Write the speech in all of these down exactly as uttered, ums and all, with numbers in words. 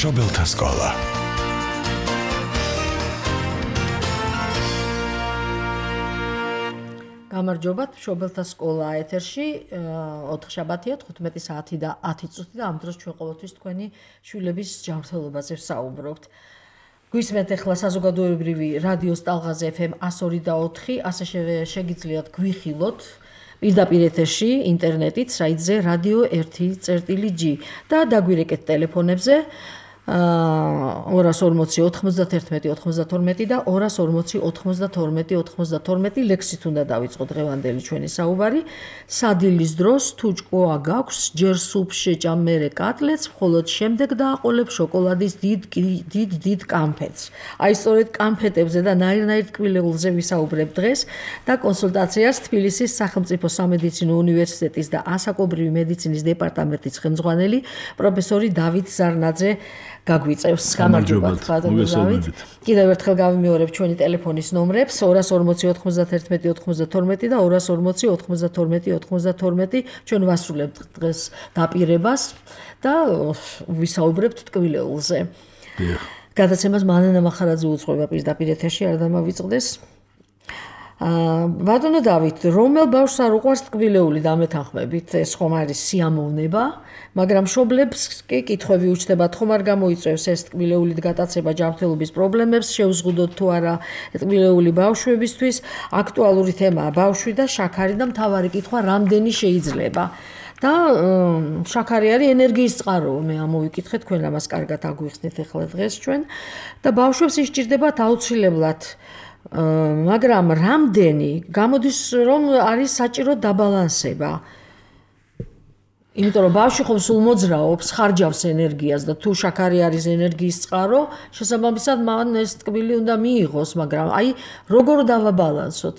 მშობელთა სკოლა. გამარჯობათ, მშობელთა სკოლა ეთერში, ოთხშაბათია, თხუთმეტი საათი და ათი წუთი და ამ დროს ჩვენ ყოველთვის თქვენი შვილების ჯანმრთელობაზე ვსაუბრობთ. გვისმენთ ახლა საზოგადოებრივი რადიოს ტალღაზე ეფ ემ εκατო ორი და ოთხი, ასე შეგიძლიათ გვიხილოთ პირდაპირ ეთერში, ინტერნეტით, საიტზე რადიო ერთი წერტილი ჯი და დაგვირეკეთ ტელეფონებზე ორას ორმოცი ოთხმოცდათერთმეტი ოცდათორმეტი და ორას ორმოცი ოთხმოცდათორმეტი ოცდათორმეტი ლექსით უნდა დავიწყოთ დღევანდელი ჩვენი საუბარი. სადილის დროს თუ ჭკუა გაქვს, ჯერ სუპს შეჭამ, მერე კატლეტს, მხოლოდ შემდეგ დააყოლებ შოკოლადის დიდ დიდ დიდ კამფეტს. აი სწორედ კამფეტებზე და ნაირ-ნაირ ტკბილეულზე ვისაუბრებ დღეს და კონსულტაციას თბილისის სახელმწიფო სამედიცინო უნივერსიტეტის და ასაკობრივი მედიცინის დეპარტამენტის ხელმძღვანელი პროფესორი დავით ზარნაძე გაგვიწევს. გამარჯობათ, დავით. კიდევ ერთხელ გავიმეორებ ჩვენი ტელეფონის ნომრებს ორას ორმოცი ოთხმოცდათერთმეტი ოცდათორმეტი და ორას ორმოცი ოთხმოცდათორმეტი ოცდათორმეტი. ჩვენ ვასრულებთ დღეს დაპირებას და ვისაუბრებთ ტკბილეულზე. გადაცემას მანანა მახარაძე უძღვება პირდაპირ ეთერში, არ დამავიწყდეს. ბატონო დავით, რომელ ბავშვს არ უყვარს ტკბილეული დამეთანხმებით, ეს ხომ არის სიამოვნება, მაგრამ მშობლებს კი კითხვები უჩნდებათ, ხომ არ გამოიწვევს ეს ტკბილეულით გატაცება ჯანმრთელობის პრობლემებს, შევზღუდოთ თუ არა ტკბილეული ბავშვებისთვის, აქტუალური თემაა ბავშვი და შაქარი და მთავარი კითხვა რამდენი შეიძლება. და შაქარი არის ენერგიის წყარო, მე ამოვიკითხე, თქვენ ამას კარგად აგვიხსნით ახლა დღეს ჩვენ და ბავშვებს ისჭირდებათ აუცილებლად მაგრამ რამდენი გამოდის რომ არის საჭირო დაბალანსება. იმიტომ რომ ბავშვი ხომ სულ მოძრაობს, ხარჯავს ენერგიას და თუ შაქარი არის ენერგიის წყარო, შესაბამისად მან ეს ტკბილი უნდა მიიღოს, მაგრამ აი როგორ დავაბალანსოთ?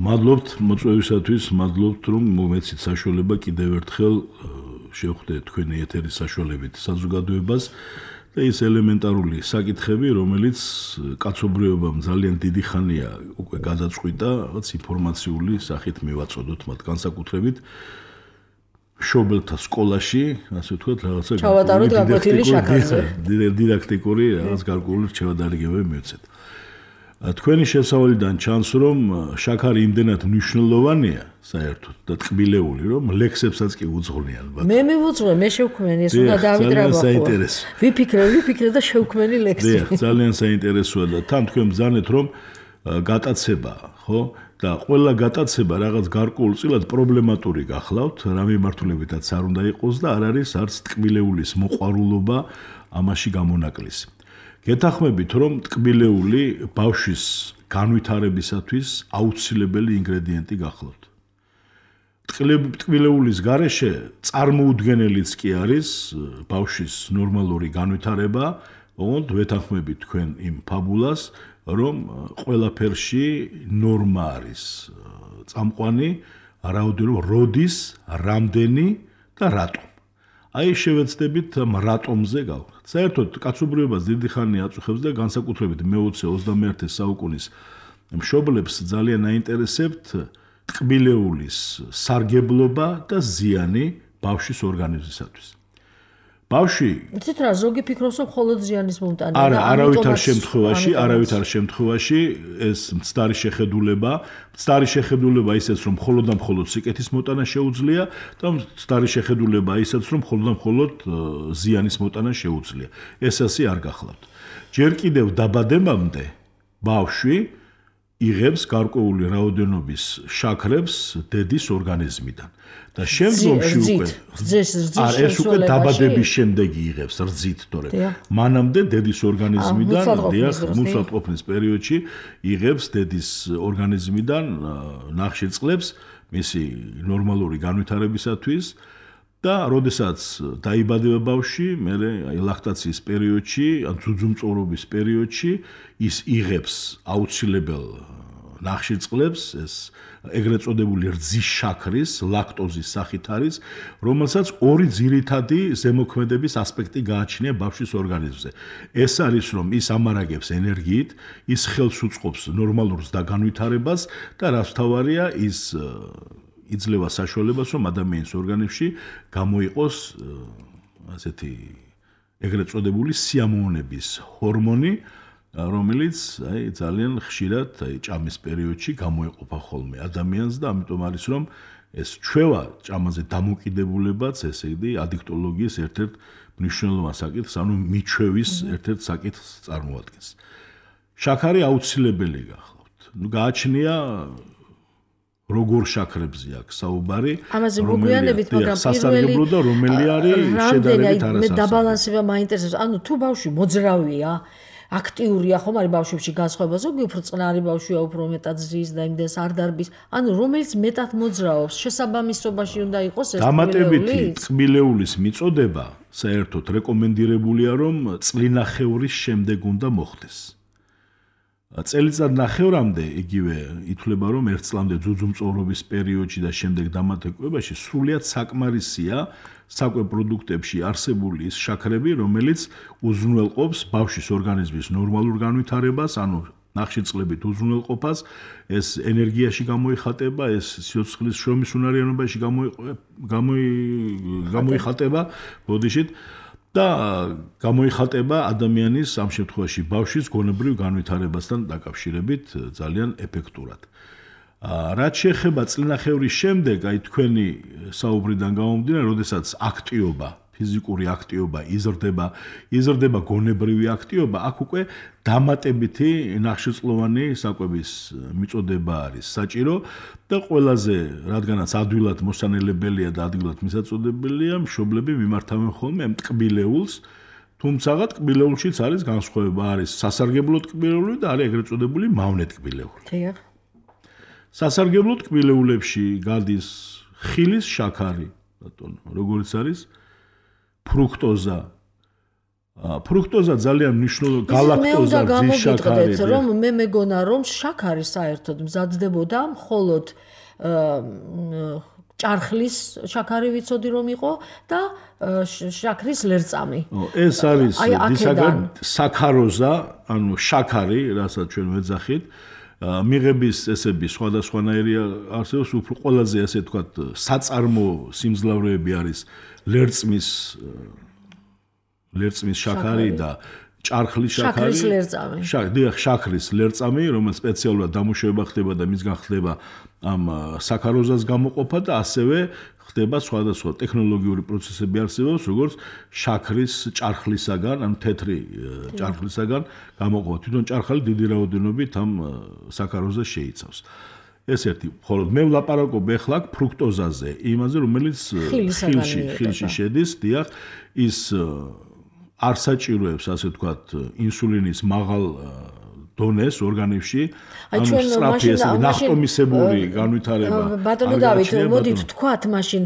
მადლობთ მოწვევისათვის, მადლობთ რომ მომეცით საშუალება კიდევ ერთხელ შევხვდე თქვენი ეთერის საშუალებით საზოგადოებას. და ის ელემენტარული საკითხები, რომელიც კაცობრიობამ ძალიან დიდი ხანია უკვე გადაწყვიტა, რაღაც ინფორმაციული სახით მივაწოდოთ მათ განსაკუთრებით მშობელთა სკოლაში, ასე ვთქვათ, რაღაცა ჩავატაროთ გაკვეთილი შაქარზე. დიდაქტიკური რაღაც გარკვეული რჩევადარიგებები მივცეთ. თქვენი შესავალიდან ჩანს, რომ შაქარი იმდენად მნიშვნელოვანია საერთოდ და ტკბილეული, რომ ლექსებსაც კი უძღვნიან. მე მივუძღვე, მე შევქმენი, ეს უნდა დავიტრაბახო. ვიფიქრე, ვიფიქრე და შევქმენი ლექსი. ძალიან საინტერესოა და თან თქვენ ბრძანეთ, რომ გატაცება, ხო? და ყველა გატაცება რაღაც გარკვეულწილად პრობლემატური გახლავთ, რა მიმართულებითაც არ უნდა იყოს და არ არის არც ტკბილეულის მოყვარულობა ამაში გამონაკლისი. გეთახმებით, რომ ტკბილეული ბავშვის განვითარებისათვის აუცილებელი ინგრედიენტი გახლავთ. ტკბილეულის გარეშე წარმოუდგენელიც კი არის ბავშვის ნორმალური განვითარება, ოღონდ ვეთანხმებით თქვენ იმ ფაბულას, რომ ყველაფერში ნორმა არის წამყვანი, რაოდენობა, როდის, რამდენი და რატომ. აი შევეცდებით რატომზე გავხსნათ. საერთოდ კაცობრიობას დიდი ხანი აწუხებს და განსაკუთრებით მეოცე ოცდამეერთე საუკუნის მშობლებს ძალიან აინტერესებთ ტკბილეულის სარგებლობა და ზიანი ბავშვის ორგანიზმისათვის. ბავშვი იცით რა, ზოგი ფიქრობს, რომ მხოლოდ ზიანის მომტანია. არა, არავითარ შემთხვევაში, არავითარ შემთხვევაში ეს მცდარი შეხედულება, მცდარი შეხედულება ისეც, რომ მხოლოდ და მხოლოდ სიკეთის მოტანა შეუძლია და მცდარი შეხედულება ისეც, რომ მხოლოდ და მხოლოდ ზიანის მოტანა შეუძლია. ეს ასე არ გახლავთ. ჯერ კიდევ დაბადებამდე ბავშვი იღებს გარკვეული რაოდენობის შაქრებს დედის ორგანიზმიდან. და შემდგომში უკვე ეს უკვე დაბადების შემდეგ იღებს რძით, თორემ მანამდე დედის ორგანიზმიდან, დიახ, მუსატყოფნის პერიოდში იღებს დედის ორგანიზმიდან ნახშირწყლებს მისი ნორმალური განვითარებისათვის და როდესაც დაიბადება ბავშვი, მერე აი ლაქტაციის პერიოდში, ან ძუძუმწოვრობის პერიოდში ის იღებს აუცილებელ ნახშირწყლებს, ეს ეგრეთ წოდებული რძის შაქრის, ლაქტოზის სახით არის, რომელსაც ორი ძირითადი ზემოქმედების ასპექტი გააჩნია ბავშვის ორგანიზმზე. ეს არის, რომ ის ამარაგებს ენერგიით, ის ხელს უწყობს ნორმალურ ზდაგანვითარებას და რაც თავარია, ის იძლევა საშუალებას, რომ ადამიანის ორგანიზმში გამოიყოს ასეთი ეგრეთ წოდებული სიამოვნების ჰორმონი, რომელიც აი ძალიან ხშირად აი ჭამის პერიოდში გამოეყოფა ხოლმე ადამიანს და ამიტომ არის რომ ეს ჩვევა ჭამაზე დამოკიდებულებაც, ესე იგი ადიქტოლოგიის ერთ-ერთ მნიშვნელოვან საკითხს, ანუ მიჩვევის ერთ-ერთ საკითხს წარმოადგენს. შაქარი აუცილებელი გახლავთ. ნუ გააჩნია როგორ შაქრებზე აქვს საუბარი, ამაზე მოგვიანებით, მაგრამ სასარგებლო და რომელი არის შედარებით არასასარგებლო. მე დაბალანსება მაინტერესებს. ანუ თუ ბავშვი მოძრავია, აქტიურია, ხომ არის ბავშვებში განსხვავება, ზოგი უფრო წყნარი ბავშვია, უფრო მეტად ზის და იმდენს არ დარბის. ანუ რომელიც მეტად მოძრაობს, შესაბამისობაში უნდა იყოს ეს დამატებითი წყვილეულის მიწოდება საერთოდ რეკომენდირებულია, რომ წლინახევრის შემდეგ უნდა მოხდეს. წელიწად ნახევრამდე იგივე ითვლება, რომ ერთ წლამდე ძუძუმწოვრობის პერიოდში და შემდეგ დამატებობაში სრულიად საკმარისია საკვებ პროდუქტებში არსებული ის შაქრები, რომელიც უზრუნველყოფს ბავშვის ორგანიზმის ნორმალურ განვითარებას, ანუ ნახშირწყლებით უზრუნველყოფას, ეს ენერგიაში გამოიხატება, ეს სიცოცხლის შრომის უნარიანობაში გამოიხატება, ბოდიშით და გამოიხატება ადამიანის ამ შემთხვევაში ბავშვის გონებრივ განვითარებასთან დაკავშირებით ძალიან ეფექტურად. რაც შეეხება წლინახევრის შემდეგ, აი თქვენი საუბრიდან გამომდინარე, როდესაც აქტიობა, ფიზიკური აქტიობა იზრდება, იზრდება გონებრივი აქტიობა, აქ უკვე დამატებითი ნახშირწყლოვანი საკვების მიწოდება არის საჭირო და ყველაზე, რადგანაც ადვილად მოსანელებელია და ადვილად მისაწოდებელია, მშობლები მიმართავენ ხოლმე ამ ტკბილეულს, თუმცა ტკბილეულშიც არის განსხვავება, არის სასარგებლო ტკბილეული და არის ეგრეთ წოდებული მავნე ტკბილეული. დიახ. სასარგებლო ტკბილეულებში გადის ხილის შაქარი, ბატონო, როგორც არის ფრუქტოზა. ფრუქტოზა ძალიან მნიშვნელოვანი გალაქტოზა ძის შაქარი. რომ მე მეგონა რომ შაქარი საერთოდ მზადდებოდა მხოლოდ ჭარხლის შაქარი ვიცოდი რომ იყო და შაქრის ლერწამი. ეს არის დისაგან საქაროზა, ანუ შაქარი, რასაც ჩვენ ვეძახით. მიღების წესები სხვადასხვანაირი არსებობს, უფრო ყველაზე ასე ვთქვათ, საწარმო სიმძლავრეები არის ლერწმის ლერწმის შაქარი და ჭარხლის შაქარი. შაქრის ლერწამი. დიახ, შაქრის ლერწამი, რომელიც სპეციალურად დამუშავება ხდება და მისგან ხდება ამ საქაროზას გამოყოფა და ასევე ხდება სხვადასხვა ტექნოლოგიური პროცესები არსებობს, როგორც შაქრის ჭარხლისაგან, ან თეთრი ჭარხლისაგან გამოყოფა. თვითონ ჭარხალი დიდი რაოდენობით ამ საქაროზას შეიცავს. ეს ერთი, ხოლო მე ვლაპარაკობ ახლა ფრუქტოზაზე, იმაზე, რომელიც ხილში, ხილში შედის, დიახ, ის არ საჭიროებს, ასე ვთქვათ, ინსულინის მაღალ დონეს ორგანიზმში, ანუ სწრაფი ესე ნახტომისებური განვითარება. ბატონო დავით, მოდით ვთქვათ, მაშინ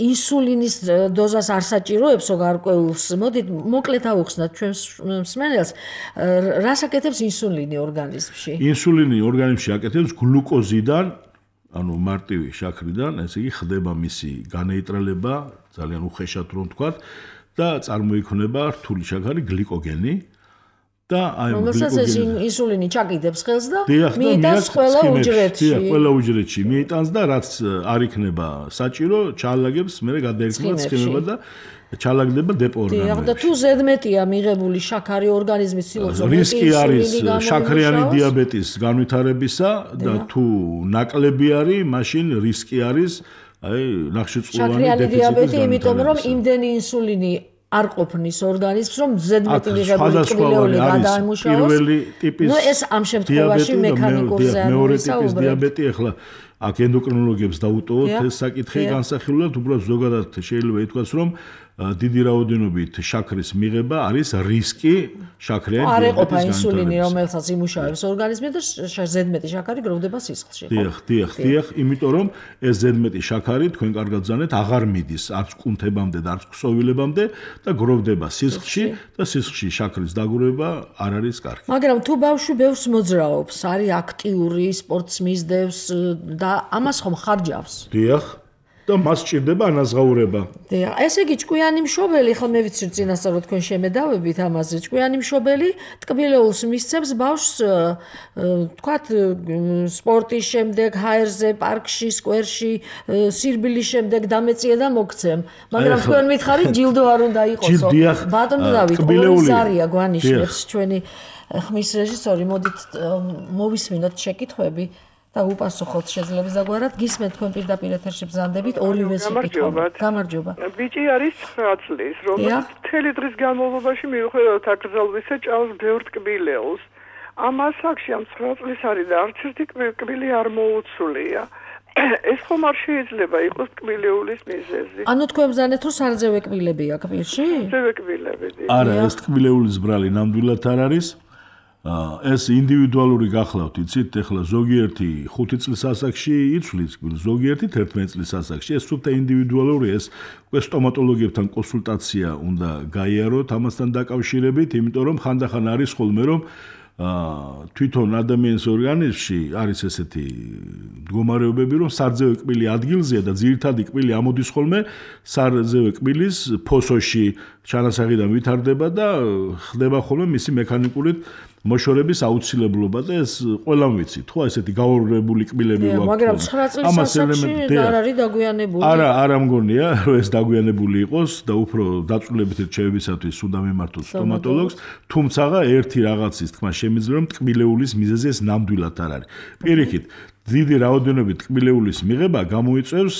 ინსულინის დოზას არ საჭიროებს გარკვეულს. მოდით მოკლედ ავუხსნათ ჩვენს მსმენელს, რას აკეთებს ინსულინი ორგანიზმში? ინსულინი ორგანიზმში აკეთებს გლუკოზიდან, ანუ მარტივი შაქრიდან, ესე იგი ხდება მისი განეიტრალება, ძალიან უხეშად რომ ვთქვათ, და წარმოიქმნება რთული შაქარი გლიკოგენი. და აი რომელსაც ინსულინი ჩაკიდებს ხელს და მიიტანს ყველა უჯრედში. დიახ, ყველა უჯრედში მიიტანს და რაც არ იქნება საჭირო, ჩაალაგებს, მერე გადაერქვა ცხიმება და ჩაალაგდება დეპორგანოებში. დიახ, და თუ ზედმეტია მიღებული შაქარი ორგანიზმის სილოცავ, რისკი არის შაქრიანი დიაბეტის განვითარებისა და თუ ნაკლები არის, მაშინ რისკი არის აი ნახშირწყლოვანი დეფიციტის დიაბეტი, იმიტომ რომ იმდენი ინსულინი არ ყოფნის ორგანიზმს, რომ ზედმეტი მიღებული ტკბილეული გადაიმუშავოს. პირველი ტიპის ნუ ეს ამ შემთხვევაში მექანიკურ ზეანს მეორე ტიპის დიაბეტი, ახლა აქ ენდოკრინოლოგებს დაუტოვოთ ეს საკითხი განსახილულად, უბრალოდ ზოგადად შეიძლება ითქვას, რომ დიდი რაოდენობით შაქრის მიღება არის რისკი შაქრიანი დიაბეტის განვითარებას. არ ეყოფა ინსულინი, რომელსაც იმუშავებს ორგანიზმი და ზედმეტი შაქარი გროვდება სისხლში. დიახ, დიახ, დიახ, იმიტომ რომ ეს ზედმეტი შაქარი თქვენ კარგად ზანეთ, აღარ მიდის არც კუნთებამდე და არც ქსოვილებამდე და გროვდება სისხლში და სისხლში შაქრის დაგროვება არ არის კარგი. მაგრამ თუ ბავშვი ბევრს მოძრაობს, არის აქტიური, სპორტს მისდევს და ამას ხომ ხარჯავს? დიახ. და მას სჭირდება ანაზღაურება. დიახ, ესე იგი ჭკვიანი მშობელი, ხო მე ვიცი წინასწარ რომ თქვენ შემედავებით ამაზე, ჭკვიანი მშობელი ტკბილეულს მისცემს ბავშვს თქვათ სპორტის შემდეგ, ჰაერზე, პარკში, სკვერში, სირბილის შემდეგ დამეწია და მოგცემ. მაგრამ თქვენ მითხარით ჯილდო არ უნდა იყოსო. ბატონო დავით, ორი ზარია გვანიშნებს ჩვენი ხმის რეჟისორი, მოდით მოვისმინოთ შეკითხვები. და უპასუხოთ შეძლებს დაგვარად გისმენთ თქვენ პირდაპირ ეთერში ბრძანდებით ორივეს შეკითხვა. გამარჯობა. ბიჭი არის ცხრა წლის, რომელიც მთელი დღის განმავლობაში მიუხედავად აკრძალვისა ჭამს ბევრ ტკბილეულს. ამ ასაკში ამ ცხრა წლის არის და არც ერთი ტკბილი არ მოუცვლია. ეს ხომ არ შეიძლება იყოს ტკბილეულის მიზეზი. ანუ თქვენ ბრძანეთ რომ სარძევე კბილებია კბილში? სარძევე კბილებია. არა, ეს ტკბილეულის ბრალი ნამდვილად არ არის. ეს ინდივიდუალური გახლავთ, იცით, ეხლა ზოგიერთი ხუთი წლის ასაკში იცვლის კბილს, ზოგიერთი თერთმეტი წლის ასაკში. ეს სულთა ინდივიდუალური, ეს უკვე სტომატოლოგებთან კონსულტაცია უნდა გაიაროთ ამასთან დაკავშირებით, იმიტომ რომ ხანდახან არის ხოლმე რომ თვითონ ადამიანის ორგანიზმში არის ესეთი მდგომარეობები, რომ სარძევე კბილი ადგილზეა და ძირითადი კბილი ამოდის ხოლმე სარძევე კბილის ფოსოში ჩანასახიდან ვითარდება და ხდება ხოლმე მისი მექანიკური მოშორების აუცილებლობა და ეს ყველამ ვიცით, ხო, ესეთი გაურებული კბილები ვაქვს. მაგრამ ცხრა წლის ასაკში არ არის დაგვიანებული. არა, არა მგონია, რომ ეს დაგვიანებული იყოს და უფრო დაწვრილებითი რჩევებისათვის უნდა მიმართოს სტომატოლოგს, თუმცა ერთი რაღაცის თქმა შემიძლია, რომ ტკბილეულის მიზეზი ეს ნამდვილად არ არის. პირიქით, დიდი რაოდენობით ტკბილეულის მიღება გამოიწვევს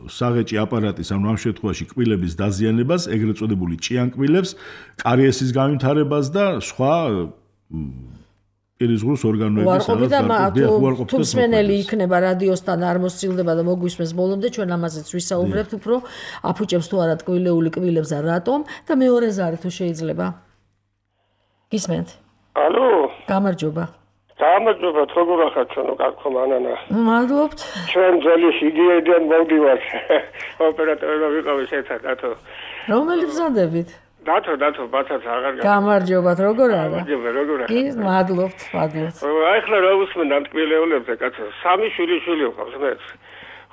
საღეჭი აპარატის, ანუ ამ შემთხვევაში კბილების დაზიანებას, ეგრეთ წოდებული ჭიანკბილებს, კარიესის განვითარებას და სხვა პირისგრუს ორგანოების უარყოფით. თუ მსმენელი იქნება რადიოსთან არ მოსცილდება და მოგვისმენს ბოლომდე, ჩვენ ამაზეც ვისაუბრებთ, უფრო აფუჭებს თუ არა ტკბილეული კბილებს და რატომ და მეორე ზარი თუ შეიძლება. გისმენთ? ალო? გამარჯობა. გამარჯობა, როგორ ახართ ჩვენო კაცო მანანა? მადლობთ. ჩვენ ძველი იდეიდან მოვდივართ. ოპერატორებმა ვიყავით ერთად, დათო. რომელი ბრძანდებით? დათო, დათო, ბაცაც აღარ გა. გამარჯობათ, როგორ არა? გამარჯობა, როგორ არა? კი, მადლობთ, მადლობთ. აი ხლა რა უსმენ ამ ტკბილეულებზე, კაცო, სამი შვილი შვილი ყავს მეც.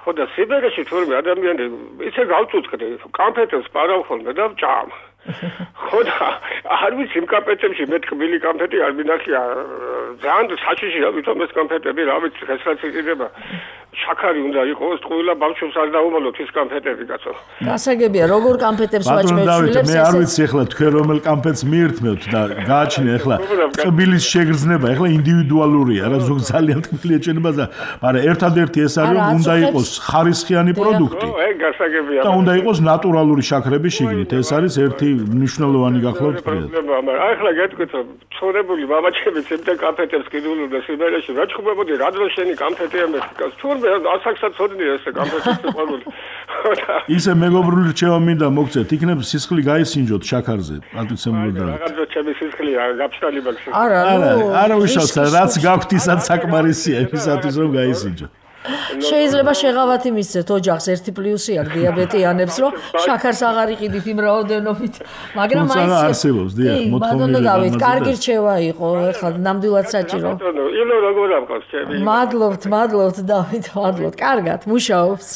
ხო და სიბერეში თორმე ადამიანი ისე გავწუწკდი, კამფეტებს პარავ ხოლმე და ვჭამ. ხო და არ ვიცი იმ კამფეტებში მე ტკბილი კამფეტი არ მინახია. ძალიან საჩიში ამიტომ ეს კამფეტები რა ვიცი, ხესრაც იყიდება. შაქარი უნდა იყოს, ყველა ბავშვს არ დაუმალოთ ის კამფეტები, კაცო. გასაგებია, როგორ კამფეტებს ვაჭმევთ შვილებს? მე არ ვიცი ახლა თქვენ რომელ კამფეტს მიირთმევთ და გააჩნია ახლა ტკბილის შეგრძნება, ახლა ინდივიდუალურია, რა ზოგ ძალიან ტკბილი ეჩვენება და მაგრამ ერთადერთი ეს არის რომ უნდა იყოს ხარისხიანი პროდუქტი. ო, ეგ გასაგებია. და უნდა იყოს ნატურალური შაქრები შიგნით, ეს არის ერთი მნიშვნელოვანი გახლავთ ფრიად. მაგრამ აი ხლა გეტყვით რომ ცხოვრებული მამაჩემიც იმდენ კამფეტებს კიდულობდა სიბერეში, რა ჩხუბებოდი, რა დრო შენი კამფეტია მეთქას. თურმე ასაკსაც ცოდნია ესე კამფეტის ყვარული. ისე მეგობრული რჩევა მინდა მოგცეთ, იქნებ სისხლი გაისინჯოთ შაქარზე, პატიცემული და. რაღაცა ჩემი სისხლი გაფშტალი მაქვს. არა, არა, არა უშავსა, რაც გაქვთ ისაც საკმარისია იმისათვის რომ გაისინჯოთ. შეიძლება შეღავათი მისცეთ ოჯახს ერთი პლუსი აქვს დიაბეტიანებს, რომ შაქარს აღარ იყიდით იმ რაოდენობით, მაგრამ აი ეს არსებობს, დიახ, მოთხოვნილი. დავით, კარგი რჩევა იყო, ეხლა ნამდვილად საჭირო. ილო როგორ ამყავს ჩემი. მადლობთ, მადლობთ დავით, მადლობთ. კარგად, მუშაობს.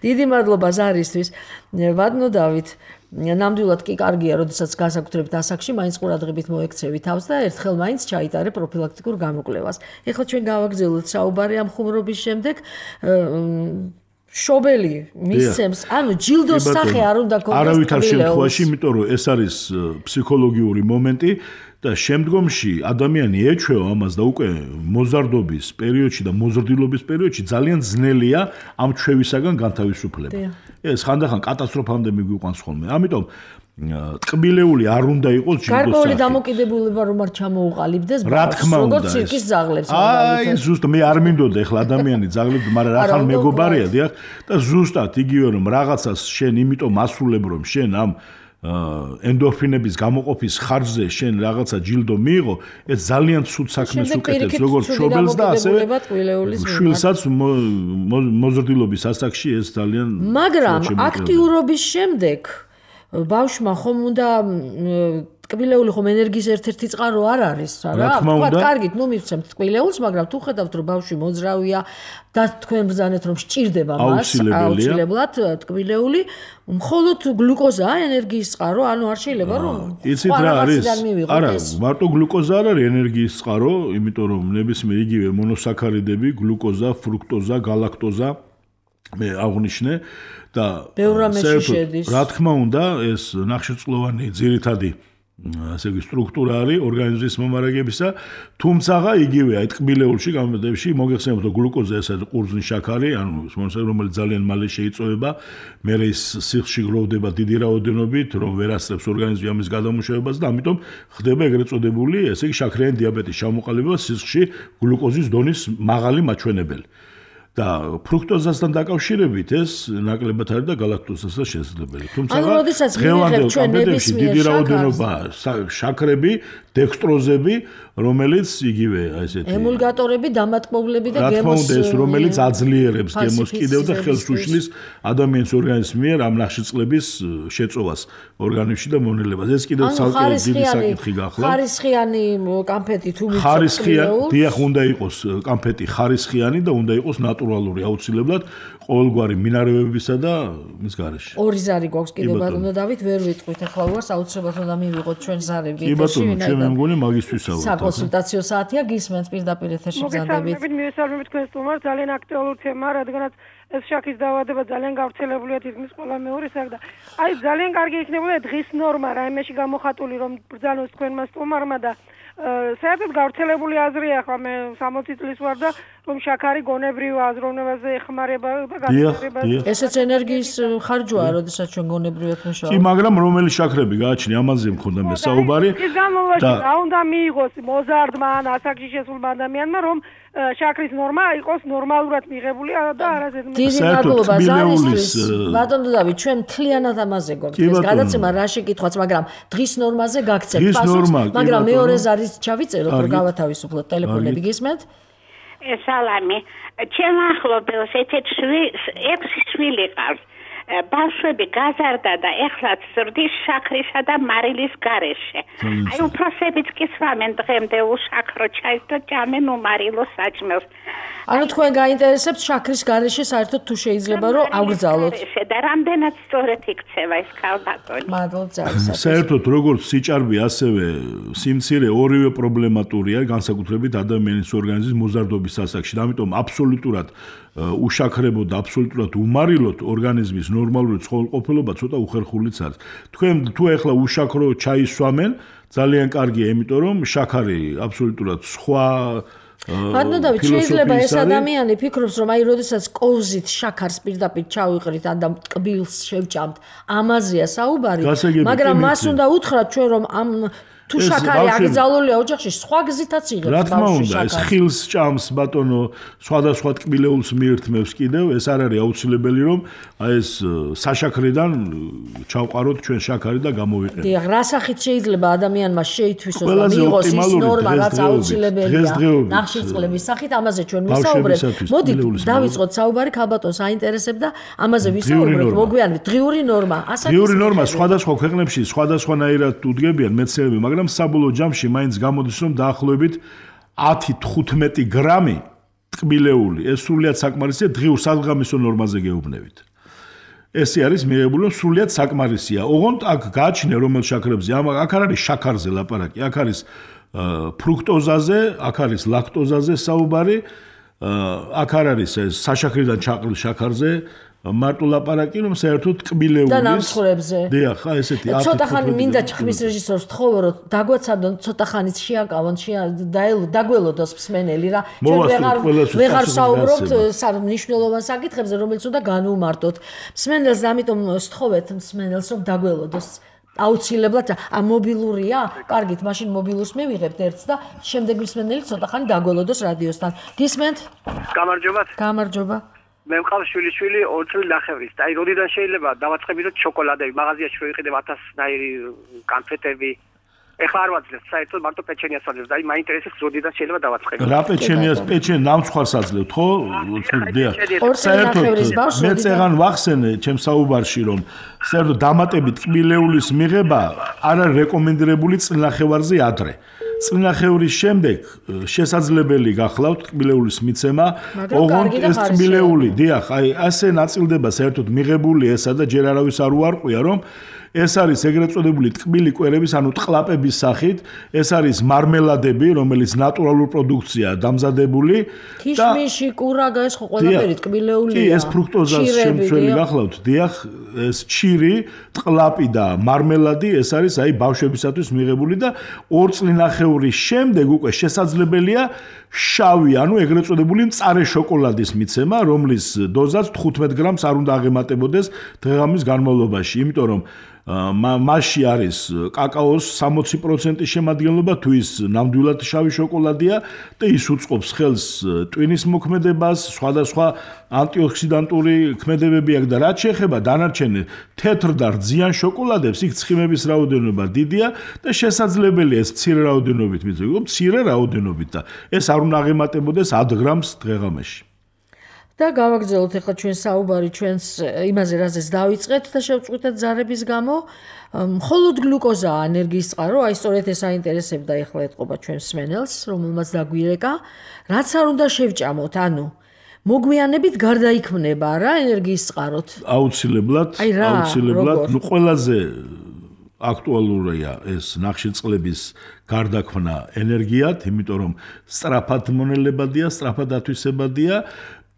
დიდი მადლობა ზარისთვის. ვადნო დავით, ნამდვილად კი კარგია, როდესაც განსაკუთრებით ასაკში მაინც ყურადღებით მოექცევი თავს და ერთხელ მაინც ჩაიტარე პროფილაქტიკურ გამოკვლევას. ეხლა ჩვენ გავაგრძელოთ საუბარი ამ ხუმრობის შემდეგ. შობელი მისცემს, ანუ ჯილდოს სახე არ უნდა კონკრეტულად. არავითარ შემთხვევაში, იმიტომ რომ ეს არის ფსიქოლოგიური მომენტი და შემდგომში ადამიანი ეჩვევა ამას და უკვე მოზარდობის პერიოდში და მოზრდილობის პერიოდში ძალიან ძნელია ამ ჩვევისაგან განთავისუფლება. ეს ხანდახან კატასტროფამდე მიგვიყვანს ხოლმე. ამიტომ ტკბილეული არ უნდა იყოს ჯილდოს სახე. გარკვეული დამოკიდებულება რომ არ ჩამოუყალიბდეს ბავშვს, როგორც ცირკის ძაღლებს. აი, ზუსტ მე არ მინდოდა ახლა ადამიანი ძაღლებს, მაგრამ რახან მეგობარია, დიახ, და ზუსტად იგივე რომ რაღაცას შენ იმიტომ ასრულებ რომ შენ ამ ენდორფინების გამოყოფის ხარჯზე შენ რაღაცა ჯილდო მიიღო, ეს ძალიან ცუდ საქმეს უკეთებს, როგორც შობელს და ასევე შვილსაც მოზრდილობის ასაკში ეს ძალიან მაგრამ აქტიურობის შემდეგ ბავშვმა ხომ უნდა ტკბილეული ხომ ენერგიის ერთ-ერთი წყარო არ არის რა თქვა კარგით ნუ მივცემთ ტკბილეულს მაგრამ თუ ხედავთ რომ ბავშვი მოძრავია და თქვენ ბრძანეთ რომ სჭირდება მას აუცილებლად ტკბილეული მხოლოდ გლუკოზაა ენერგიის წყარო ანუ არ შეიძლება რომ იცით რა არის არა მარტო გლუკოზა არ არის ენერგიის წყარო იმიტომ რომ ნებისმიერ იგივე მონოსაქარიდები გლუკოზა ფრუქტოზა galactoza მე აღნიშნე და რა თქმა უნდა ეს ნახშირწყლოვანი ძირითადი ასე იგი სტრუქტურა არის ორგანიზმის მომარაგებისა თუმცა იგივეა ტკბილეულში გამოდებში მოგეხსენებათ რომ გლუკოზა ეს არის ყურძნის შაქარი ანუ რომელიც ძალიან მალე შეიწოვება მე ის სიხში გროვდება დიდი რაოდენობით რომ ვერ ასწრებს ორგანიზმი ამის გადამუშავებას და ამიტომ ხდება ეგრეთ წოდებული ესე იგი შაქრიანი დიაბეტის ჩამოყალიბება სიხში გლუკოზის დონის მაღალი მაჩვენებელი და ფრუქტოზასთან დაკავშირებით ეს ნაკლებად არის და galactozasთან შესაძლებელი. თუმცა დღევანდელ კამპეტებში დიდი რაოდენობაა შაქრები, დექსტროზები, რომელიც იგივე ესეთი ემულგატორები, დამატკბოვლები და გემოს რა თქმა უნდა ეს რომელიც აძლიერებს გემოს კიდევ და ხელს უშლის ადამიანის ორგანიზმის მიერ ამ ნახშირწყლების შეწოვას ორგანიზმში და მონელებას. ეს კიდევ ცალკე დიდი საკითხი გახლა. ხარისხიანი კამფეტი თუ მიწევს ხარისხიანი, დიახ უნდა იყოს კამფეტი ხარისხიანი და უნდა იყოს ნატურალური აუცილებლად ყოველგვარი მინარევებისა და მის გარეშე. ორი ზარი გვაქვს კიდევ ბატონო დავით ვერ ვიტყვით ახლა უარს აუცილებლად უნდა მივიღოთ ჩვენ ზარები ეთერში. კი ბატონო, ჩვენ მე მგონი მაგისთვისაა. საკონსულტაციო საათია გისმენთ პირდაპირ ეთერში ბრძანდებით. მოგესალმებით, მივესალმებით თქვენს სტუმარს, ძალიან აქტუალური თემაა, რადგანაც ეს შაქრის დაავადება ძალიან გავრცელებულია თითქმის ყველა მეორესა და აი ძალიან კარგი იქნებოდა დღის ნორმა რაიმეში გამოხატული რომ ბრძანოს თქვენმა სტუმარმა და საერთოდ გავრცელებული აზრია ახლა მე სამოცი წლის ვარ და რომ შაქარი გონებრივ აზროვნებაზე ეხმარება და გადაჭრება. ესეც ენერგიის ხარჯვაა, როდესაც ჩვენ გონებრივად მუშაობთ. კი, მაგრამ რომელი შაქრები გააჩნია, ამაზე მქონდა მე საუბარი. ის განმავლობაში რა უნდა მიიღოს მოზარდმა ან ასაკში შესულმა ადამიანმა, რომ შაქრის ნორმა იყოს ნორმალურად მიღებული და არაზედმეტ. დიდი მადლობა ზარისთვის. ბატონო დავით, ჩვენ მთლიანად ამაზე გვაქვს ეს გადაცემა რა შეკითხვაც, მაგრამ დღის ნორმაზე გაგცემთ პასუხს, მაგრამ მეორე ზარის ჩავიწეროთ, რომ გავათავისუფლოთ ტელეფონები გისმენთ? სალამი. ჩემ ახლობელს ექვსი შვილი ყავს. ბავშვები გაზარდა და ეხლაც ზრდის შაქრისა და მარილის გარეშე. აი უფროსებიც კი სვამენ დღემდე უშაქრო ჩაის და ჭამენ უმარილო საჭმელს. ანუ თქვენ გაინტერესებთ შაქრის გარეშე საერთოდ თუ შეიძლება რომ აგრძალოთ. და რამდენად სწორად იქცევა ეს ქალბატონი. მადლობთ ძალიან. საერთოდ როგორც სიჭარბე ასევე სიმცირე ორივე პრობლემატურია განსაკუთრებით ადამიანის ორგანიზმის მოზარდობის ასაკში. ამიტომ აბსოლუტურად უშაქრებო და აბსოლუტურად უმარილოთ ორგანიზმის ნორმალური ცხოველყოფილობა ცოტა უხერხულიც არის. თქვენ თუ ეხლა უშაქრო ჩაის სვამენ, ძალიან კარგია, იმიტომ რომ შაქარი აბსოლუტურად სხვა ბატონო დავით, შეიძლება ეს ადამიანი ფიქრობს, რომ აი როდესაც კოვზით შაქარს პირდაპირ ჩავიყრით ან და ტკბილს შევჭამთ, ამაზეა საუბარი, მაგრამ მას უნდა უთხრათ ჩვენ რომ ამ თუ შაქარი აკრძალულია ოჯახში, სხვა გზითაც იღებს. რა თქმა უნდა, ეს ხილს ჭამს ბატონო, სხვადასხვა ტკბილეულს მიირთმევს კიდევ, ეს არ არის აუცილებელი რომ აი ეს საშაქრიდან ჩავყაროთ ჩვენ შაქარი და გამოვიყენოთ. დიახ, რა სახით შეიძლება ადამიანმა შეითვისოს და მიიღოს ის ნორმა, რაც აუცილებელია. ნახშირწყლების სახით ამაზე ჩვენ ვისაუბრებთ. მოდით დავიწყოთ საუბარი, ქალბატონს აინტერესებდა, ამაზე ვისაუბრებთ, მოგვიანებით დღიური ნორმა. დღიური ნორმა სხვადასხვა ქვეყნებში სხვადასხვანაირად უდგებიან მეცნიერები, მაგრამ საბოლოო ჯამში მაინც გამოდის რომ დაახლოებით ათი თხუთმეტი გრამი ტკბილეული ეს სრულიად საკმარისია დღიურ სადღამისო ნორმაზე გეუბნებით. ესე არის მიღებული რომ სრულიად საკმარისია. ოღონდ აქ გააჩნია რომელ შაქრებზე, აქ არ არის შაქარზე ლაპარაკი, აქ არის ფრუქტოზაზე, აქ არის ლაქტოზაზე საუბარი, აქ არ არის ეს საშაქრიდან ჩაყრილ შაქარზე მარტო ლაპარაკი რომ საერთოდ ტკბილეულის და ნამსხვრებზე. დიახ, ხა ესეთი ათი. ცოტა ხანი მინდა ჩხმის რეჟისორს თხოვო რომ დაგვაცადონ ცოტა ხანით შეაკავონ, დაგველოდოს მსმენელი რა. ჩვენ ვეღარ ვეღარ საუბრობთ მნიშვნელოვან საკითხებზე, რომელიც უნდა განვუმარტოთ. მსმენელს ამიტომ სთხოვეთ მსმენელს რომ დაგველოდოს. აუცილებლად ამ მობილურია? კარგით, მაშინ მობილურს მივიღებთ ერთს და შემდეგ მსმენელი ცოტა ხანი დაგველოდოს რადიოსთან. გისმენთ? გამარჯობა. გამარჯობა. მე მყავს შვილი-შვილი ორი წელი ნახევრის. აი, როდიდან შეიძლება დავაწყებინოთ შოკოლადები, მაღაზიაში რომ იყიდებ ათასნაირი კანფეტები. ეხლა არ ვაძლევთ, საერთოდ მარტო პეჩენიას ვაძლევთ. აი მაინტერესებს ზოდიდან შეიძლება დავაცხებო. რა პეჩენიას, პეჩენ ნამცხვარს აძლევთ, ხო? დიახ. საერთოდ მე წეგან ვახსენე ჩემ საუბარში, რომ საერთოდ დამატებით ტკბილეულის მიღება არ არის რეკომენდირებული წინახევარზე ადრე. წინახევრის შემდეგ შესაძლებელი გახლავთ ტკბილეულის მიცემა, ოღონდ ეს ტკბილეული, დიახ, აი ასე ნაწილდება საერთოდ მიღებული ესა და ჯერ არავის არ უარყვია, რომ ეს არის ეგრეთ წოდებული ტკბილი კვერების, ანუ ტყლაპების სახით, ეს არის მარმელადები, რომელიც ნატურალურ პროდუქციაა დამზადებული და ქიშმიში, კურაგა, ეს ხო ყველაფერი ტკბილეულია. კი, ეს ფრუქტოზას შემცველი გახლავთ, დიახ, ეს ჩირი, ტყლაპი და მარმელადი, ეს არის აი ბავშვებისათვის მიღებული და ორ წლინახევრის შემდეგ უკვე შესაძლებელია შავი, ანუ ეგრეთ წოდებული მწარე შოკოლადის მიცემა, რომლის დოზაც თხუთმეტ გრამს არ უნდა აღემატებოდეს დღე-ღამის განმავლობაში, იმიტომ რომ მასში არის კაკაოს სამოცი პროცენტის შემადგენლობა, თუ ის ნამდვილად შავი შოკოლადია და ის უწყობს ხელს ტვინის მოქმედებას, სხვადასხვა ანტიოქსიდანტური ქმედებები აქვს და რაც შეეხება დანარჩენ თეთრ და რძიან შოკოლადებს, იქ ცხიმების რაოდენობა დიდია და შესაძლებელია ეს მცირე რაოდენობით მიცემა, მცირე რაოდენობით და ეს არ უნდა აღემატებოდეს ათი გრამს დღე-ღამეში. და გავაგრძელოთ ახლა ჩვენ საუბარი ჩვენს იმაზე, რაზეც დავიწყეთ და შევწყვიტეთ ზარების გამო. მხოლოდ გლუკოზაა ენერგიის წყარო, აი სწორედ ეს აინტერესებდა ახლა ეთყობა ჩვენს მსმენელს, რომელმაც დაგვირეკა, რაც არ უნდა შევჭამოთ, ანუ მოგვიანებით გარდაიქმნება რა ენერგიის წყაროთ. აუცილებლად, აუცილებლად, ნუ ყველაზე აქტუალურია ეს ნახშირწყლების გარდაქმნა ენერგიად, იმიტომ რომ სწრაფად მონელებადია, სწრაფად ათვისებადია.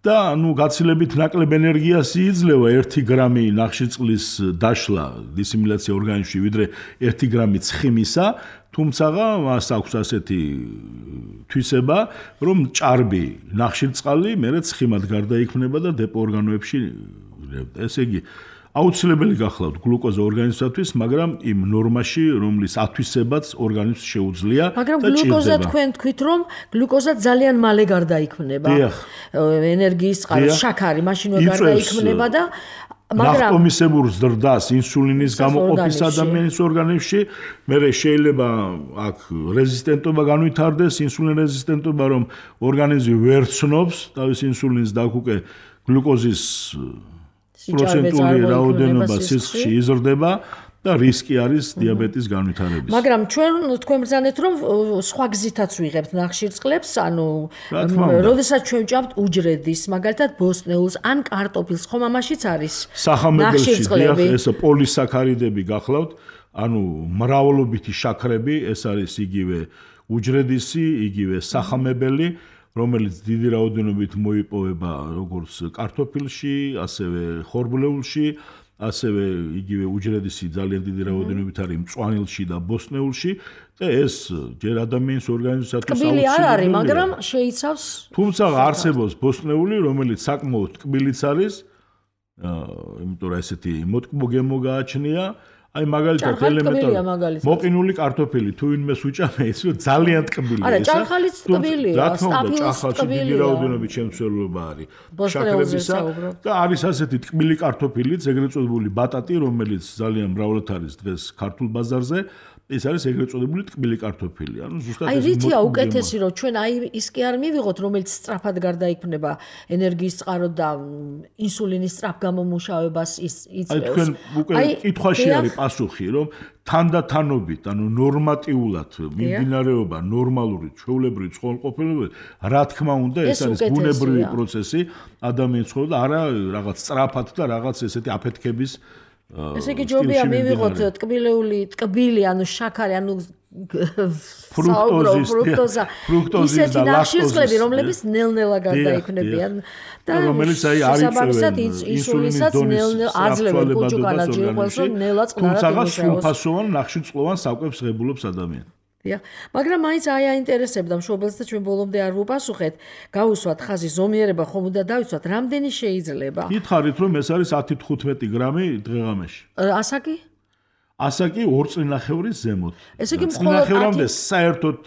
და ნუ გაცილებით ნაკლებ ენერგიას იძლევა ერთი გრამი ნახშირწყლის დაშლა დისიმილაცია ორგანიზმში, ვიდრე ერთი გრამი ცხიმისა, თუმცა მას აქვს ასეთი თვისება, რომ ჭარბი ნახშირწყალი მერე ცხიმად გარდაიქმნება და დეპო ორგანოებში. ესე იგი, აუცილებელი გახლავთ გლუკოზა ორგანიზმისთვის, მაგრამ იმ ნორმაში, რომლის ათვისებაც ორგანიზმს შეუძლია და მაგრამ გლუკოზა თქვენ თქვით, რომ გლუკოზა ძალიან მალე გარდაიქმნება. ენერგიის წყარო, შაქარი მაშინვე გარდაიქმნება და მაგრამ ნახტომისებურ ზრდას ინსულინის გამოყოფის ადამიანის ორგანიზმში, მერე შეიძლება აქ რეზისტენტობა განვითარდეს, ინსულინ რეზისტენტობა, რომ ორგანიზმი ვერ ცნობს თავის ინსულინს და აქ უკვე გლუკოზის პროცენტული რაოდენობა სისხლში იზრდება და რისკი არის დიაბეტის განვითარების. მაგრამ ჩვენ თქვენ ბრძანეთ, რომ სხვა გზითაც ვიღებთ ნახშირწყლებს, ანუ როდესაც ჩვენ ვჭამთ უჯრედის, მაგალითად ბოსტნეულს ან კარტოფილს, ხომ ამაშიც არის ნახშირწყლები. ეს პოლისაქარიდები გახლავთ, ანუ მრავლობითი შაქრები, ეს არის იგივე უჯრედისი, იგივე სახამებელი, რომელიც დიდი რაოდენობით მოიპოვება როგორც კარტოფილში, ასევე ხორბლეულში, ასევე იგივე უჯრედისი ძალიან დიდი რაოდენობით არის მწვანილში და ბოსტნეულში და ეს ჯერ ადამიანის ორგანიზმისათვის აუცილებელია. ტკბილი არ არის, მაგრამ შეიცავს. თუმცა არსებობს ბოსტნეული, რომელიც საკმაოდ ტკბილიც არის, იმიტომ რომ ესეთი მოტკბო-გემო გააჩნია. აი მაგალითად ელემენტარული მოყინული კარტოფილი თუ ვინმეს უჭამე ის ძალიან ტკბილია. არა, ჭარხალიც ტკბილია, სტაფილოს ტკბილია. დიდი რაოდენობით შემცველობა არის შაქრებისა და არის ასეთი ტკბილი კარტოფილიც, ეგრეთ წოდებული ბატატი, რომელიც ძალიან მრავლად არის დღეს ქართულ ბაზარზე. ეს არის ეგრეთ წოდებული ტკბილი კარტოფილი. ანუ ზუსტად აი რითია უკეთესი, რომ ჩვენ აი ის კი არ მივიღოთ, რომელიც სწრაფად გარდაიქმნება ენერგიის წყარო და ინსულინის სწრაფ გამომუშავებას იწვევს. აი თქვენ უკვე კითხვაში არის პასუხი, რომ თანდათანობით, ანუ ნორმატიულად მიმდინარეობა ნორმალური ჩვეულებრივი ცხოველმყოფელობა, რა თქმა უნდა, ეს არის ბუნებრივი პროცესი ადამიანის ცხოვრება და არა რაღაც სწრაფად და რაღაც ესეთი აფეთქების ესე იგი ჯობია მივიღოთ ტკბილეული, ტკბილი, ანუ შაქარი, ანუ ფრუქტოზის, ფრუქტოზის ისეთი ნახშირწყლები, რომლებიც ნელ-ნელა გარდაიქმნებიან და რომელიც აი არ იწევენ ინსულინის დონის აძლევენ კუჭუკანად ჯიყველს, რომ ნელა წყნარად თუმცა სრულფასოვან ნახშირწყლოვან საკვებს ღებულობს ადამიანი. დიახ, მაგრამ მაინც აი აინტერესებდა მშობელს და ჩვენ ბოლომდე არ ვუპასუხეთ, გავუსვათ ხაზი ზომიერება ხომ უნდა დავიცვათ, რამდენი შეიძლება? გითხარით, რომ ეს არის ათი თხუთმეტი გრამი დღე-ღამეში. ასაკი? ასაკი ორ წლინახევრის ზემოთ. ესე იგი წლინახევრამდე საერთოდ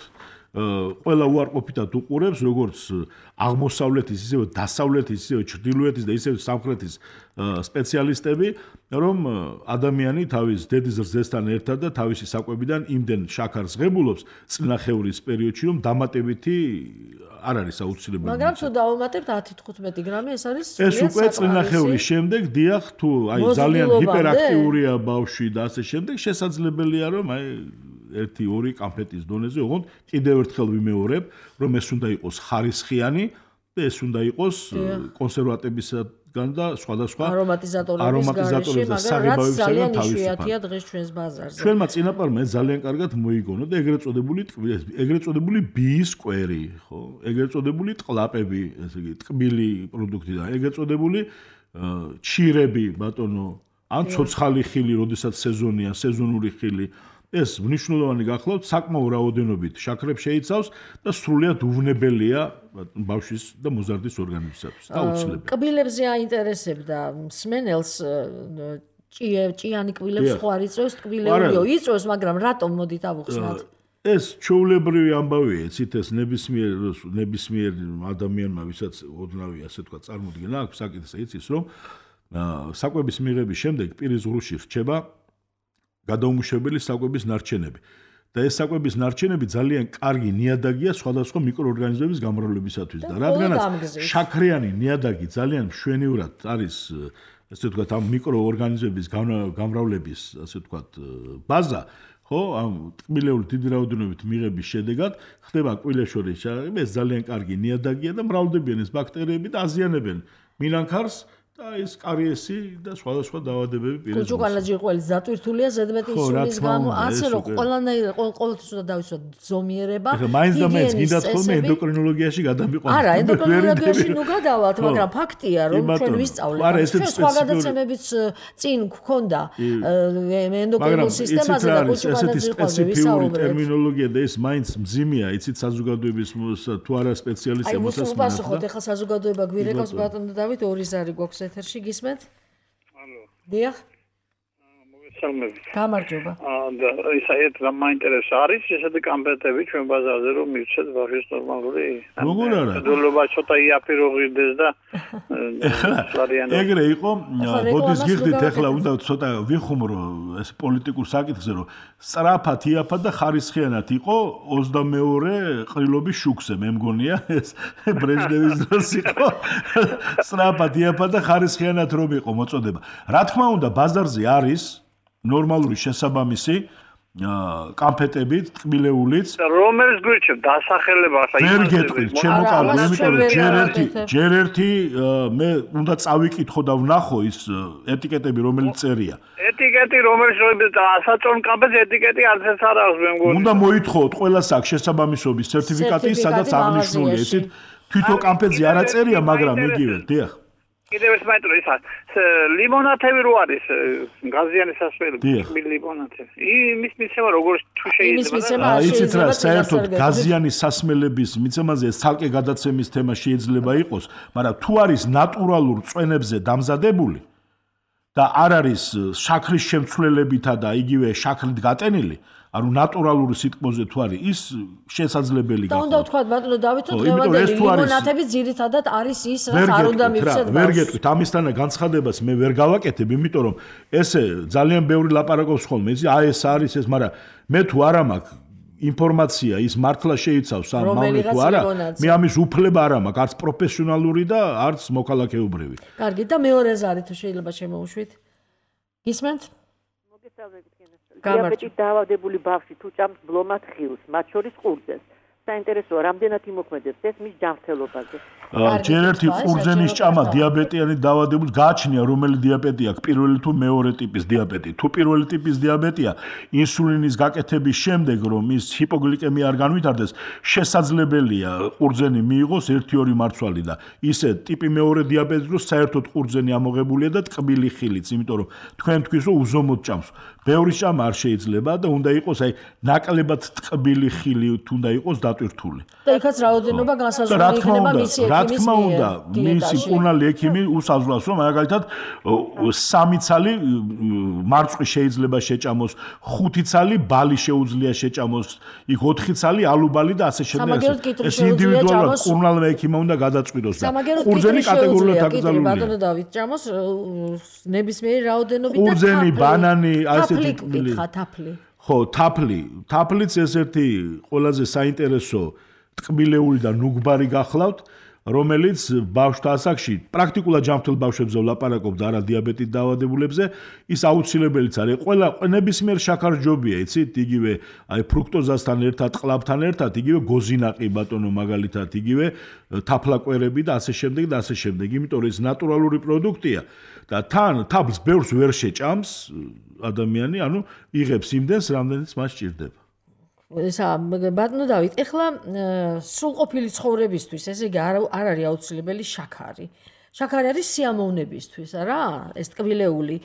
ყველა უარყოფითად უყურებს როგორც აღმოსავლეთის ისევე დასავლეთის ისევე ჩრდილოეთის და ისევე სამხრეთის სპეციალისტები რომ ადამიანი თავის დედის რძესთან ერთად და თავისი საკვებიდან იმდენ შაქარს ღებულობს წინახევრის პერიოდში რომ დამატებითი არ არის აუცილებელი მაგრამ თუ დავუმატებთ ათი თხუთმეტი გრამი ეს არის ეს უკვე წინახევრის შემდეგ დიახ თუ აი ძალიან ჰიპერაქტიურია ბავშვი და ასე შემდეგ შესაძლებელია რომ აი ერთი ორი კამფეტის დონეზე ოღონდ კიდევ ერთხელ ვიმეორებ რომ ეს უნდა იყოს ხარისხიანი და ეს უნდა იყოს კონსერვატებისგან და სხვადასხვა არომატიზატორების და საღებავებისგან თავისუფალი დღეს ჩვენს ბაზარზე ჩვენმა წინაპარმა ეს ძალიან კარგად მოიგონა და ეგრეთ წოდებული ეგრეთ წოდებული ბიის კვერი ხო ეგრეთ წოდებული ტყლაპები ესე იგი ტკბილი პროდუქტი და ეგრეთ წოდებული ჩირები ბატონო ან ცოცხალი ხილი როდესაც სეზონია სეზონური ხილი ეს მნიშვნელოვანი გახლავთ საკმაო რაოდენობით შაქრებს შეიცავს და სრულიად უვნებელია ბავშვის და მოზარდის ორგანიზმისათვის. აუცილებელი. კბილებზე აინტერესებდა მსმენელს ჭიანი კბილებს სხვა იწვევს კბილებიო იწვევს მაგრამ რატომ მოდით ავუხსნათ? ეს ჩვეულებრივი ამბავია, იცით ეს ნებისმიერ ნებისმიერ ადამიანმა ვისაც ოდნავი ასე თქვა წარმოდგენა აქვს საკითხზე იცის რომ საკვების მიღების შემდეგ პირის ღრუში რჩება გადაუმუშავებელი საკვების ნარჩენები. და ეს საკვების ნარჩენები ძალიან კარგი ნიადაგია სხვადასხვა მიკროორგანიზმების გამრავლებისათვის და რადგანაც შაქრიანი ნიადაგი ძალიან მშვენივრად არის ასე ვთქვათ ამ მიკროორგანიზმების გამრავლების ასე ვთქვათ ბაზა ხო ამ ტკბილეული დიდი რაოდენობით მიღების შედეგად ხდება კბილეშორის შაქრები ეს ძალიან კარგი ნიადაგია და მრავლდებიან ეს ბაქტერიები და აზიანებენ მინანქარს და ეს კარიესი და სხვადასხვა დაავადებები პირის კუჭუკანაჯირყველი ზატვირთულია ზედმეტი ინსულინის გამო ასე რომ ყველანაირ ყოველთვის უნდა დავიცვათ ზომიერება ეხლა მაინც და მაინც გინდათ ხოლმე ენდოკრინოლოგიაში გადამიყვანოთ არა ენდოკრინოლოგიაში ნუ გადავალთ მაგრამ ფაქტია რომ ჩვენ ვისწავლეთ ჩვენ სხვა გადაცემებიც წინ გქონდა ენდოკრინულ სისტემაზე და კუჭუკანაჯირყველი სპეციფიური ტერმინოლოგია და ეს მაინც მძიმეა იცით საზოგადოების თუ არა სპეციალისტია მოსასმენად აი მოსუპასუხოთ ეხლა საზოგადოება გვირეკავს ბატონო დავით ორი ზარი გვაქვს ეთერში გისმენთ? ალო. დიახ. მოგესალმებით. გამარჯობა. და ისა ერთ მაინტერესებს არის ესეთი კამპეტები ჩვენ ბაზარზე რომ მივცეთ ბავშვის ნორმალური. როგორ არა? დოლობა ცოტა იაფირო ღირდეს და ეგრე იყო ბოდის გიხდით ეხლა უნდა ცოტა ვიხუმრო ეს პოლიტიკურ საკითხზე რომ სწრაფად იაფად და ხარისხიანად იყო ოცდამეორე ყრილობის შუქზე მე მგონია ეს ბრეჟნევის დროს იყო სწრაფად იაფად და ხარისხიანად რომ იყო მოწოდება რა თქმა უნდა ბაზარზე არის ნორმალური შესაბამისი კამფეტებით, ტკბილეულიც. რომელიც გვირჩევ დასახელება ახლა ვერ გეტყვით, ჩემო კარგი, იმიტომ რომ ჯერ ერთი, ჯერ ერთი მე უნდა წავიკითხო და ვნახო ის ეტიკეტები, რომელიც წერია. ეტიკეტი, რომელიც ასაწონ კამფეტს ეტიკეტი არც ეს არ აქვს მე მგონი. უნდა მოითხოვოთ ყველას აქ შესაბამისობის სერტიფიკატი, სადაც აღნიშნულია ისიც თვითონ კამფეტზე არ აწერია, მაგრამ იგივე, დიახ. კიდევ ეს მაინტერესებს ის ლიმონათები რო არის გაზიანი სასმელი ლიმონათები. იმის მიცემა როგორ თუ შეიძლება იცით რა საერთოდ გაზიანი სასმელების მიცემაზე ცალკე გადაცემის თემა შეიძლება იყოს, მაგრამ თუ არის ნატურალურ წვენებზე დამზადებული და არ არის შაქრის შემცვლელებითა და იგივე შაქრით გატენილი ანუ ნატურალური სიტყვაზე თუ არის ის შესაძლებელი გახდა. და უნდა ვთქვათ ბატონო დავითო დღევანდელი ლიმონათები ძირითადად არის ის რაც არ უნდა მივცეთ. ვერ გეტყვით ამისთანა განცხადებას მე ვერ გავაკეთებ, იმიტომ რომ ესე ძალიან ბევრი ლაპარაკობს ხოლმე, იცი აი ეს არის ეს, მაგრამ მე თუ არა მაქვს ინფორმაცია ის მართლა შეიცავს ამ მავნე თუ არა, მე ამის უფლება არ მაქვს, არც პროფესიონალური და არც მოქალაქეობრივი. კარგი და მეორე ზარი თუ შეიძლება შემოუშვით. გისმენთ? მოგესალმებით. დიაბეტით დაავადებული ბავშვი თუ ჭამს ბლომად ხილს, მათ შორის ყურძენს. საინტერესოა, რამდენად იმოქმედებს ეს მის ჯანმრთელობაზე. ჯერ ერთი ყურძენის ჭამა დიაბეტიანი დაავადებულს გააჩნია, რომელი დიაბეტი აქვს, პირველი თუ მეორე ტიპის დიაბეტი. თუ პირველი ტიპის დიაბეტია, ინსულინის გაკეთების შემდეგ, რომ ის ჰიპოგლიკემია არ განვითარდეს, შესაძლებელია ყურძენი მიიღოს ერთი ორი მარცვალი და ისე ტიპი მეორე დიაბეტის დროს საერთოდ ყურძენი ამოღებულია და ტკბილი ხილიც, იმიტომ რომ თქვენ თქვის რომ უზომოდ ჭამს. ბევრი ჭამა არ შეიძლება და უნდა იყოს აი ნაკლებად ტკბილი ხილი თუ უნდა იყოს დატვირთული. და იქაც რაოდენობა განსაზღვრული იქნება მისი ექიმის მიერ. რა თქმა უნდა, მისი მკურნალი ექიმი უსაზღვრავს, რომ მაგალითად სამი ცალი მარწყვი შეიძლება შეჭამოს, ხუთი ცალი ბალი შეუძლია შეჭამოს, იქ ოთხი ცალი ალუბალი და ასე შემდეგ. ეს ინდივიდუალურად მკურნალმა ექიმმა უნდა გადაწყვიტოს და ყურძენი კატეგორიულად აკრძალულია. ბატონო დავით ჭამოს ნებისმიერი რაოდენობით და ყურძენი, ბანანი, ასე ტკბილი. თაფლი. ხო, თაფლი. თაფლიც ესეთი ყველაზე საინტერესო ტკბილეული და ნუგბარი გახლავთ, რომელიც ბავშვთა ასაკში პრაქტიკულად ჯანმრთელ ბავშვებზე ვლაპარაკობ და არა დიაბეტით დაავადებულებზე, ის აუცილებელიც არის. ყველა ნებისმიერ შაქარჯობია, იცით, იგივე აი ფრუქტოზასთან ერთად, ყლაბთან ერთად, იგივე გოზინაყი ბატონო მაგალითად, იგივე თაფლაკვერები და ასე შემდეგ და ასე შემდეგ. იმიტომ რომ ეს ნატურალური პროდუქტია და თან თაფლს ბევრს ვერ შეჭამს ადამიანი, ანუ იღებს იმდენს, რამდენიც მას სჭირდება. ესა ბატონო დავით, ეხლა სრულყოფილი ცხოვრებისთვის, ესე იგი არ არის აუცილებელი შაქარი. შაქარი არის სიამოვნებისთვის, არა? ეს ტკბილეული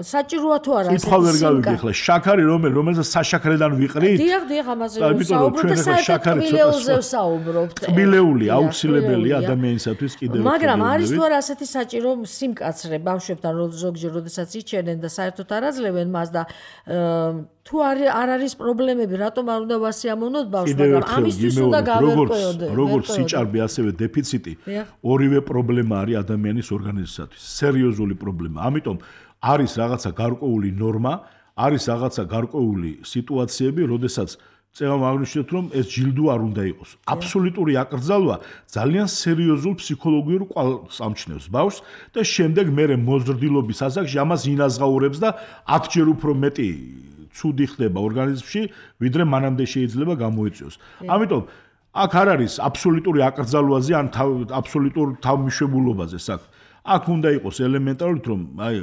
საჭიროა თუ არა? კითხვა ვერ გავიგე ეხლა, შაქარი რომელი, რომელსაც საშაქრედან ვიყრით? დიახ, დიახ, ამაზე ვსაუბრობთ და საერთოდ ტკბილეულზე ვსაუბრობთ. ტკბილეული აუცილებელია ადამიანისათვის კიდევ ერთხელ. მაგრამ არის თუ არა ასეთი საჭირო სიმკაცრე ბავშვებთან, ზოგჯერ როდესაც იჩენენ და საერთოდ არ აძლევენ მას და თუ არ არის პრობლემები, რატომ არ უნდა ვასიამოვნოთ ბავშვს, მაგრამ ამისთვის უნდა გავერკვეოდეთ. როგორც სიჭარბე, ასევე დეფიციტი, ორივე პრობლემა არის ადამიანის ორგანიზმისათვის, სერიოზული პრობლემა. ამიტომ არის რაღაცა გარკვეული ნორმა, არის რაღაცა გარკვეული სიტუაციები, როდესაც წევამ აღნიშნეთ, რომ ეს ჯილდო არ უნდა იყოს. აბსოლუტური აკრძალვა ძალიან სერიოზულ ფსიქოლოგიურ კვალს ამჩნევს ბავშვს და შემდეგ მერე მოზრდილობის ასაკში ამას ინაზღაურებს და ათჯერ უფრო მეტი ცუდი ხდება ორგანიზმში, ვიდრე მანამდე შეიძლება გამოიწვიოს. ამიტომ აქ არ არის აბსოლუტური აკრძალვაზე ან აბსოლუტურ თავმიშვებულობაზე საქმე. აქ უნდა იყოს ელემენტარულად, რომ აი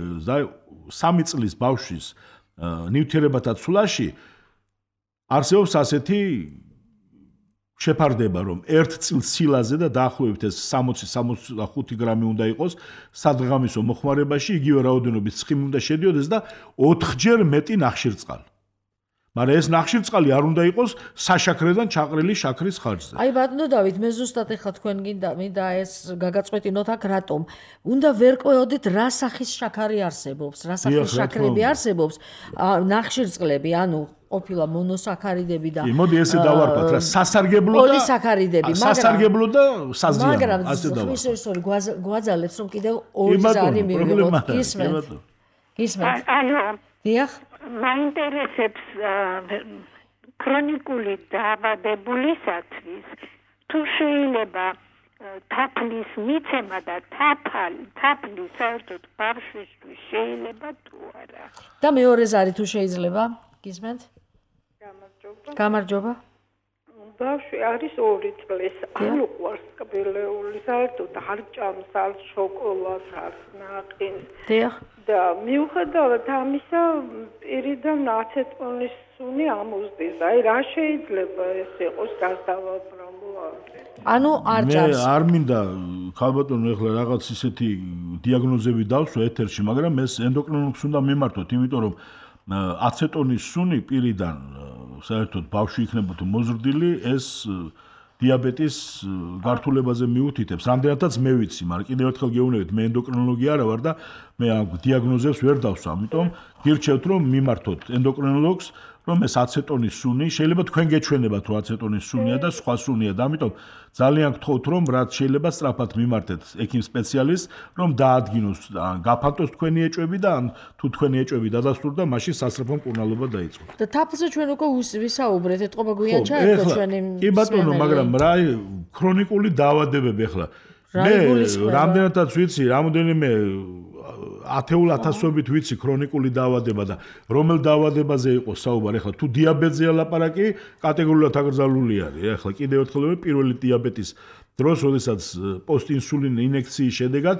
სამი წლის ბავშვის ნივთიერებათა ცვლაში არსებობს ასეთი შეფარდება, რომ ერთ წილს სილაზე და დაახლოებით ეს სამოცი სამოცდახუთი გრამი უნდა იყოს სადღამისო მოხმარებაში, იგივე რაოდენობის ცხიმი უნდა შედიოდეს და ოთხჯერ მეტი ნახშირწყალი. მაგრამ ეს ნახშირწყალი არ უნდა იყოს საშაქრედან ჩაყრილი შაქრის ხარჯზე. აი ბატონო დავით, მე ზუსტად ეხლა თქვენ გინდა მინდა ეს გაგაწყვეტინოთ აქ რატომ. უნდა ვერკვეოდეთ რა სახის შაქარი არსებობს, რა სახის შაქრები არსებობს, ნახშირწყლები, ანუ ყოფილა მონოსაქარიდები და მოდი ესე დავარქვათ რა სასარგებლო და პოლისაქარიდები, მაგრამ სასარგებლო და საზიანო, მაგრამ ხმის ისორი გვაძალებს რომ კიდევ ორი ზარი მივიღოთ. გისმენთ? გისმენთ? ანუ დიახ მაინტერესებს ქრონიკული დაავადებულისათვის თუ შეიძლება თაფლის მიცემა და თაფალი თაფლი საერთოდ ბავშვისთვის შეიძლება თუ არა. და მეორე ზარი თუ შეიძლება? გისმენთ? გამარჯობა. გამარჯობა. ბავშვი არის ორი წლის, არ უყვარს ტკბილეული, საერთოდ არ ჭამს არ შოკოლადს, არ ნაყინს. დიახ. და მიუხედავად ამისა, პირიდან აცეტონის სუნი ამოზდის. აი რა შეიძლება ეს იყოს გასავაბრალო? ანუ არ ჭამს. მე არ მინდა ქალბატონო ეხლა რაღაც ისეთი დიაგნოზები დავსვა ეთერში, მაგრამ ეს ენდოკრინოლოგს უნდა მიმართოთ, იმიტომ რომ აცეტონის სუნი პირიდან საერთოდ ბავშვი იქნებოდა მოზრდილი, ეს დიაბეტის გართულებაზე მიუთითებს. რამდენადაც მე ვიცი, მაგრამ კიდევ ერთხელ გეუბნებით, მე ენდოკრინოლოგი არა ვარ და მე ამ დიაგნოზებს ვერ დავსვა, ამიტომ გირჩევთ რომ მიმართოთ ენდოკრინოლოგს, რომ ეს აცეტონის სუნი, შეიძლება თქვენ გეჩვენებათ რომ აცეტონის სუნია და სხვა სუნია და ამიტომ ძალიან გთხოვთ რომ რაც შეიძლება სწრაფად მიმართეთ ექიმ სპეციალისტს, რომ დაადგინოს, გაფანტოს თქვენი ეჭვები და ან თუ თქვენი ეჭვები დადასტურდა, მაშინ სასწრაფო მკურნალობა დაიწყო. და თაფლზე ჩვენ უკვე ვისაუბრეთ, ეთყობა გვიან ჩაერთო ჩვენი. კი ბატონო, მაგრამ რა ქრონიკული დაავადებები ახლა მე რამდენადაც ვიცი, რამოდენიმე ათეულ ათასობით ვიცი ქრონიკული დაავადება და რომელ დაავადებაზე იყო საუბარი, ახლა თუ დიაბეტზეა ლაპარაკი, კატეგორიულად აკრძალული არის. ახლა კიდევ ერთხელ პირველი დიაბეტის დროს, როდესაც პოსტინსულინ ინექციის შედეგად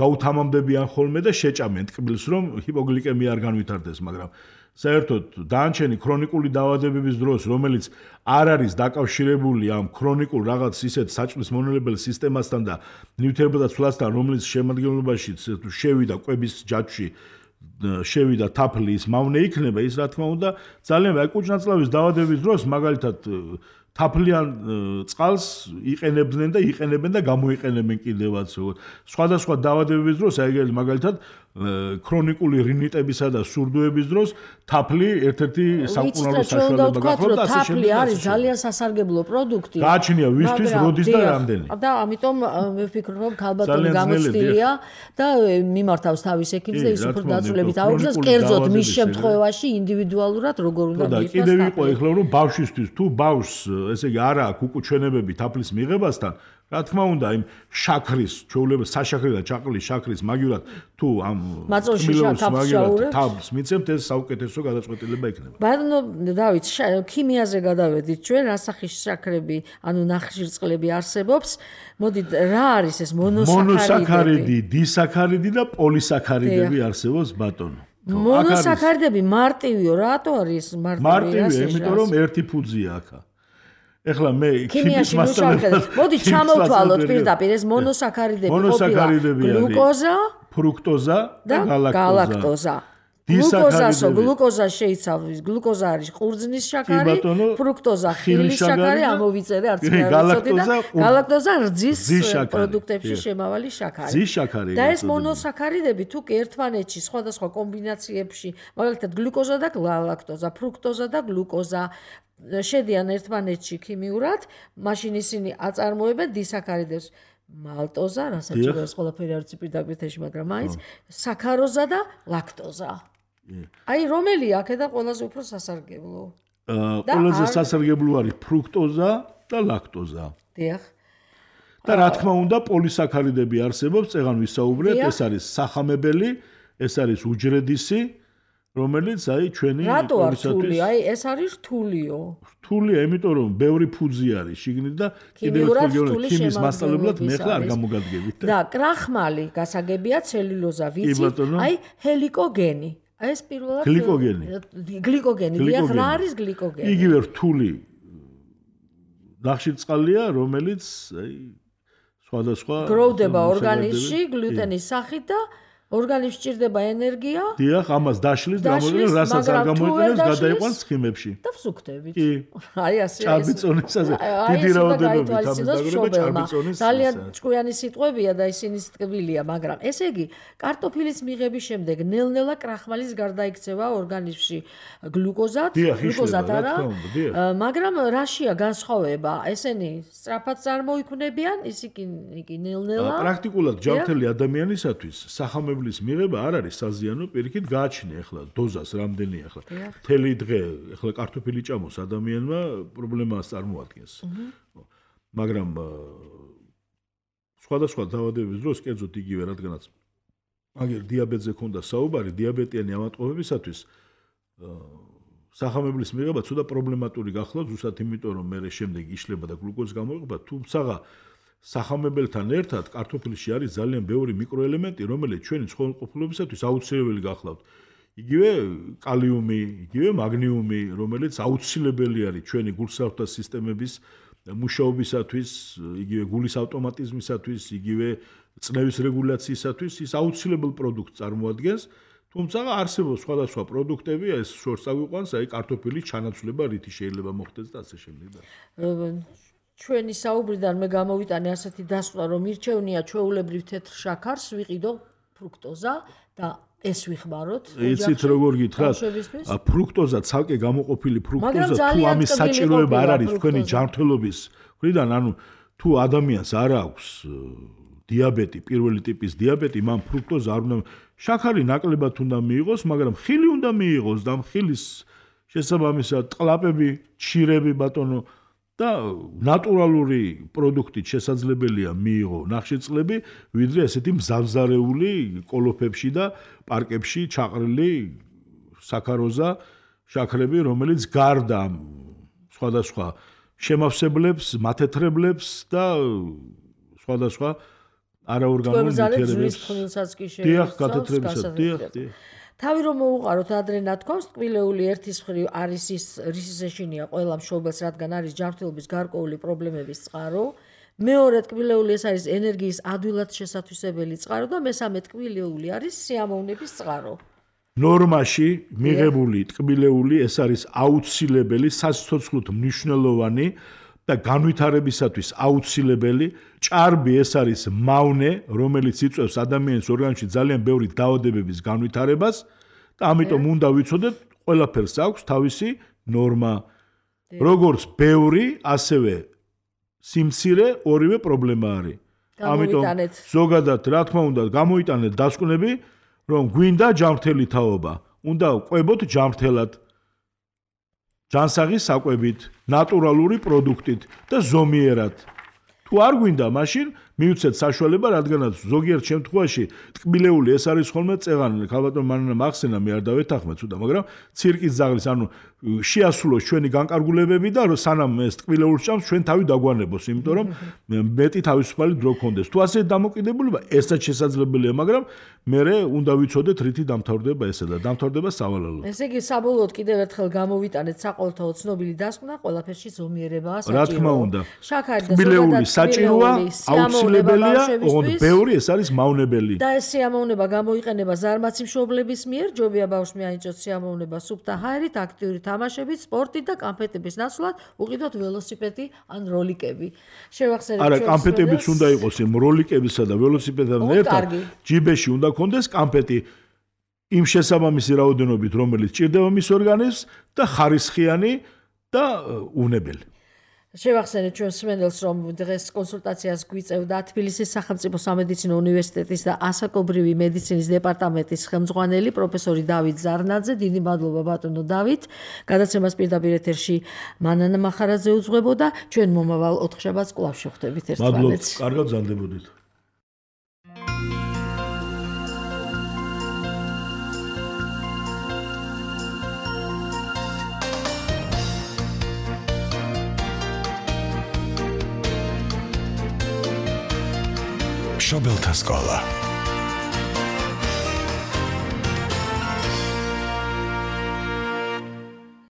გაუთამამდებიან ხოლმე და შეჭამენ ტკბილს, რომ ჰიპოგლიკემია არ განვითარდეს, მაგრამ საერთოდ დანარჩენი ქრონიკული დაავადებების დროს, რომელიც არ არის დაკავშირებული ამ ქრონიკულ რაღაც ისეთ საჭმლის მონელებელ სისტემასთან და ნივთიერებათა ცვლასთან, რომელიც შემადგენლობაში შევიდა კვების ჯაჭვში შევიდა თაფლის მავნე იქნება ის რა თქმა უნდა ძალიან აი კუჭნაწლავის დაავადების დროს მაგალითად თაფლიან წყალს იყენებდნენ და იყენებენ და გამოიყენებენ კიდევაც სხვადასხვა დაავადებების დროს აი მაგალითად ქრონიკული რინიტებისა და სურდოების დროს თაფლი ერთ-ერთი სამკურნალო საშუალება გახლავთ და ასე შემდეგ. თაფლი არის ძალიან სასარგებლო პროდუქტი. გააჩნია ვისთვის როდის და რამდენი. და ამიტომ მე ვფიქრობ რომ ქალბატონი გამოცდილია და მიმართავს თავის ექიმს და ის უფრო დაწვრილებით აუგზავს კერძოდ მის შემთხვევაში ინდივიდუალურად როგორ უნდა მიიღოს. და კიდევ იყო ეხლა რომ ბავშვისთვის თუ ბავშვს ესე იგი არა აქვს უკუჩვენებები თაფლის მიღებასთან რა თქმა უნდა იმ შაქრის ჩვეულება საშაქრი და ჩაყრილი შაქრის მაგივრად თუ ამ მაწოლში თაფლს თაფლს მიცემთ ეს საუკეთესო გადაწყვეტილება იქნება. ბატონო დავით ქიმიაზე გადავედით ჩვენ რასახის შაქრები ანუ ნახშირწყლები არსებობს მოდით რა არის ეს მონოსაქარიდი დისაქარიდი და პოლისაქარიდები არსებობს ბატონო. მონოსაქარიდები მარტივიო რატო არის მარტივი მარტივია იმიტომ რომ ერთი ფუძია აქა ეხლა მე ქიმიის მასწავლებლად მოდი ჩამოვთვალოთ პირდაპირ ეს მონოსაქარიდები ყოფილა გლუკოზა, ფრუქტოზა და გალაქტოზა. გლუკოზასო გლუკოზა შეიცავს გლუკოზა არის ყურძნის შაქარი, ფრუქტოზა ხილის შაქარი, ამოვიწერე არც მე არ ვიცოდი და გალაქტოზა რძის პროდუქტებში შემავალი შაქარი. და ეს მონოსაქარიდები თუ კი ერთმანეთში სხვადასხვა კომბინაციებში, მაგალითად გლუკოზა და გალაქტოზა, ფრუქტოზა და გლუკოზა შედიან ერთმანეთში ქიმიურად, მაშინ ისინი აწარმოებენ დისაქარიდებს. მალტოზა, რასაც ეს ყველაფერი არის პირდაპირ, მაგრამ მაინც საქაროზა და ლაქტოზა. აი რომელი აქედან ყველაზე უფრო სასარგებლო? ყველაზე სასარგებლო არის ფრუქტოზა და ლაქტოზა. დიახ. და რა თქმა უნდა, პოლისაქარიდები არსებობს, წეგან ვისაუბრეთ, ეს არის სახამებელი, ეს არის უჯრედისი, რომელიც აი ჩვენი რატო არ რთული? აი ეს არის რთულიო. რთულია, იმიტომ რომ ბევრი ფუძი არის შიგნით და კიდევ ერთხელ ქიმიის მასწავლებლად მე ხარ არ გამოგადგებით. და კრახმალი გასაგებია ცელულოზა ვიცი, აი ჰელიკოგენი. აი ეს პირველად გლიკოგენი. გლიკოგენი, დიახ, რა არის გლიკოგენი? იგივე რთული ნახშირწყალია, რომელიც აი სხვადასხვა გროვდება ორგანიზმში გლუტენის სახით და ორგანიზმს სჭირდება ენერგია. დიახ, ამას დაშლის გამოიყენებს, რასაც არ გამოიყენებს, გადაიყვანს ცხიმებში. და ვსუქდებით. კი. აი ასე. ჭარბიწონისაზე დიდი რაოდენობით ამის დაგროვა ჭარბიწონის. ძალიან ჭკვიანი სიტყვებია და ისინი ტკბილია, მაგრამ ესე იგი, კარტოფილის მიღების შემდეგ ნელ-ნელა კრახმალის გარდა იქცევა ორგანიზმში გლუკოზად, გლუკოზად არა. მაგრამ რაშია განსხვავება? ესენი სწრაფად წარმოიქმნებიან, ისინი კი ნელ-ნელა. პრაქტიკულად ჯანმრთელი ადამიანისათვის სახამებელი ლის მიღება არ არის საზიანო, პირიქით გააჩნია ახლა დოზას რამდენი ახლა. მთელი დღე ახლა კარტოფილი ჭამოს ადამიანმა პრობლემას წარმოადგენს. მაგრამ სხვადასხვა დაავადების დროს კერძოდ იგივე რადგანაც აგერ დიაბეტზე ქონდა საუბარი, დიაბეტიანი ავადმყოფებისათვის სახამებლის მიღება ცოტა პრობლემატური გახლავთ, ზუსტად იმიტომ რომ მე შემდეგ იშლება და გლუკოზი გამოიყოფა, თუმცა სახამებელთან ერთად კარტოფილში არის ძალიან ბევრი მიკროელემენტი, რომელიც ჩვენი ცხოველმყოფობისათვის აუცილებელი გახლავთ. იგივე კალიუმი, იგივე მაგნიუმი, რომელიც აუცილებელი არის ჩვენი გულსავრთა სისტემების მუშაობისათვის, იგივე გულის ავტომატიზმისათვის, იგივე წნევის რეგულაციისათვის, ის აუცილებელ პროდუქტს წარმოადგენს. თუმცა არსებობს სხვადასხვა პროდუქტები, ეს შორს აგვიყვანს, აი კარტოფილის ჩანაცვლება, რითი შეიძლება მოხდეს და ასე შემდეგ. ჩვენი საუბრიდან მე გამოვიტანე ასეთი დასკვნა, რომ მირჩევნია ჩვეულებრივ თეთრ შაქარს ვიყიდო ფრუქტოზა და ეს ვიხმაროთ. იცით როგორ გითხრათ? ფრუქტოზა ცალკე გამოყოფილი ფრუქტოზა თუ ამის საჭიროება არ არის თქვენი ჯანმრთელობის მხრიდან, ანუ თუ ადამიანს არ აქვს დიაბეტი, პირველი ტიპის დიაბეტი, მან ფრუქტოზა არ უნდა შაქარი ნაკლებად უნდა მიიღოს, მაგრამ ხილი უნდა მიიღოს და ხილის შესაბამისად ტყლაპები, ჩირები ბატონო და ნატურალური პროდუქტით შესაძლებელია მიიღო ნახშირწყლები, ვიდრე ესეთი მზამზარეული კოლოფებში და პარკებში ჩაყრილი საქაროზა შაქრები, რომელიც გარდა სხვადასხვა შემავსებლებს, მათეთრებლებს და სხვადასხვა არაორგანულ ნივთიერებებს. დიახ, გათეთრებისად, დიახ, დიახ. თავი რომ მოუყაროთ ადრე ნათქვამს, ტკბილეული ერთის მხრივ არის ის რისის ეშინია ყველა მშობელს, რადგან არის ჯანმრთელობის გარკვეული პრობლემების წყარო. მეორე ტკბილეული ეს არის ენერგიის ადვილად შესათვისებელი წყარო და მესამე ტკბილეული არის სიამოვნების წყარო. ნორმაში მიღებული ტკბილეული ეს არის აუცილებელი სასიცოცხლოდ მნიშვნელოვანი და განვითარებისათვის აუცილებელი ჭარბი ეს არის მავნე რომელიც იწვევს ადამიანის ორგანიზმში ძალიან ბევრი დაავადებების განვითარებას და ამიტომ უნდა ვიცოდეთ ყველაფერს აქვს თავისი ნორმა როგორც ბევრი ასევე სიმცირე ორივე პრობლემა არის ამიტომ ზოგადად რა თქმა უნდა გამოიტანეთ დასკვნები რომ გვინდა ჯანმრთელი თაობა უნდა ყვებოთ ჯანმრთელად ჯანსაღი საკვებით ნატურალური პროდუქტით და ზომიერად თუ არ გვინდა მაშინ მიუცეთ საშუალება რადგანაც ზოგიერთ შემთხვევაში ტკბილეული ეს არის ხოლმე წეღანი ქალბატონ მანანა მახსენა მე არ დავეთანხმე ცუდა მაგრამ ცირკის ზაღლის ანუ შეასრულოს ჩვენი განკარგულებები და სანამ ეს ტკბილეულს ჭამს ჩვენ თავი დაგვანებოს იმიტომ რომ მეტი თავისუფალი დრო გქონდეს თუ ასე დამოკიდებულება ესაც შესაძლებელია მაგრამ მე უნდა ვიცოდეთ რითი დამთავრდება ესე და დამთავრდება სავალალოდ ესე იგი საბოლოოდ კიდევ ერთხელ გამოვიტანეთ საყოველთაო ცნობილი დასკვნა ყველაფერში ზომიერებაა საჭირო რა თქმა უნდა შაქარი და ტკბილეული საჭიროა აუცილებელია ოღონდ ბევრი ეს არის მავნებელი და ეს სიამოვნება გამოიყენება ზარმაცი მშობლების მიერ ჯობია ბავშვი აინჭოს სიამოვნება სუფთა ჰაერით აქტიური თამაშებით სპორტით და კამფეტების ნაცვლად უყიდოთ ველოსიპედი ან როლიკები შევახსენებთ არა კამფეტებიც უნდა იყოს იმ როლიკებისა და ველოსიპედთან ერთად ჯიბეში უნდა კონდეს კამფეტი იმ შესაბამისი რაოდენობით რომელიც ჭირდება მის ორგანიზმს და ხარისხიანი და უნებელი შევახსენეთ ჩვენ სმენელს რომ დღეს კონსულტაციას გვიწევდა თბილისის სახელმწიფო სამედიცინო უნივერსიტეტის და ასაკობრივი მედიცინის დეპარტამენტის ხელმძღვანელი პროფესორი დავით ზარნაძე დიდი მადლობა ბატონო დავით გადაცემას პირდაპირ ეთერში მანანა მახარაძე უძღვებოდა ჩვენ მომავალ ოთხშაბათს კვლავ შევხვდებით ერთმანეთს მადლობა კარგად გზანდებოდით მშობელთა სკოლა